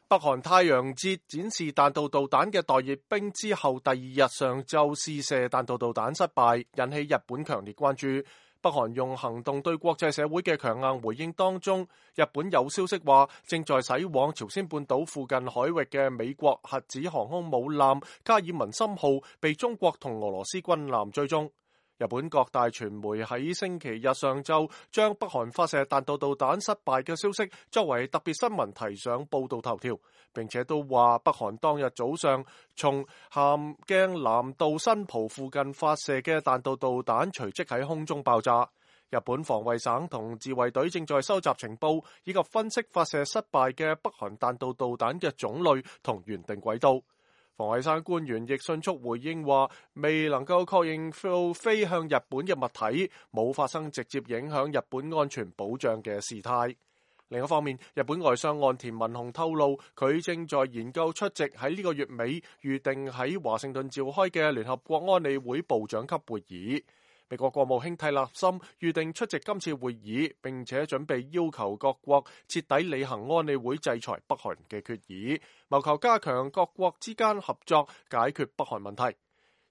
北韓太陽節展示彈道導彈嘅待閱兵之後，第二日上晝試射彈道導彈失敗，引起日本強烈關注。北韓用行動對國際社會嘅強硬回應當中，日本有消息話正在駛往朝鮮半島附近海域嘅美國核子航空母艦卡爾文森號被中國同俄羅斯軍艦追蹤。日本各大傳媒喺星期日上晝將北韓發射彈道導彈失敗嘅消息作為特別新聞提上報道頭條，並且都話北韓當日早上從咸鏡南道新浦附近發射嘅彈道導彈隨即喺空中爆炸。日本防衛省同自衛隊正在收集情報，以及分析發射失敗嘅北韓彈道導彈嘅種類同原定軌道。防衛省官員亦迅速回應話，未能夠確認到飛向日本嘅物體冇發生直接影響日本安全保障嘅事態。另一方面，日本外相岸田文雄透露，佢正在研究出席喺呢個月尾預定喺華盛頓召開嘅聯合國安理會部長級會議。美國國務卿蒂勒森預定出席今次會議，並且準備要求各國徹底履行安理會制裁北韓嘅決議，謀求加強各國之間合作，解決北韓問題。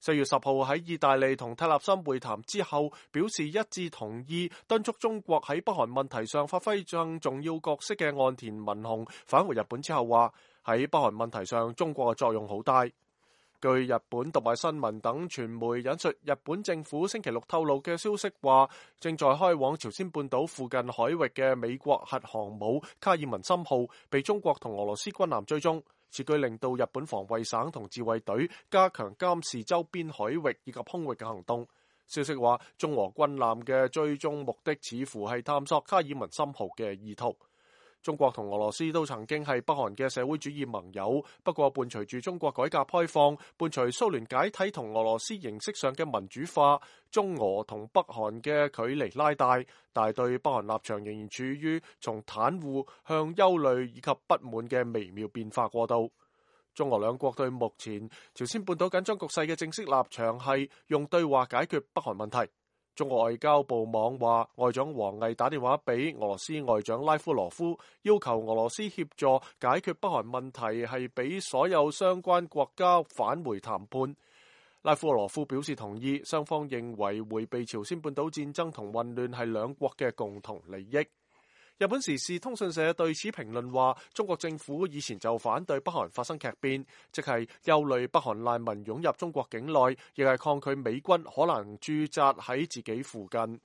4月10號喺意大利同蒂勒森會談之後，表示一致同意敦促中國喺北韓問題上發揮更重要角色嘅岸田文雄返回日本之後話，喺北韓問題上中國嘅作用好大。據日本讀賣新聞等傳媒引述日本政府星期六透露嘅消息話，正在開往朝鮮半島附近海域嘅美國核航母卡爾文森號被中國同俄羅斯軍艦追蹤，此舉令到日本防衛省同自衛隊加強監視周邊海域以及空域嘅行動。消息話，中俄軍艦嘅追蹤目的似乎係探索卡爾文森號嘅意圖。中國同俄羅斯都曾經係北韓嘅社會主義盟友，不過伴隨住中國改革開放，伴隨蘇聯解體同俄羅斯形式上嘅民主化，中俄同北韓嘅距離拉大，但對北韓立場仍然處於從袒護向憂慮以及不滿嘅微妙變化過渡。中俄兩國對目前朝鮮半島緊張局勢嘅正式立場係用對話解決北韓問題。中國外交部網話，外長王毅打電話俾俄羅斯外長拉夫羅夫，要求俄羅斯協助解決北韓問題，係俾所有相關國家返回談判。拉夫羅夫表示同意，雙方認為迴避朝鮮半島戰爭同混亂係兩國嘅共同利益。日本時事通訊社對此評論話，中國政府以前就反對北韓發生劇變，即係憂慮北韓難民湧入中國境內，亦係抗拒美軍可能駐紮喺自己附近。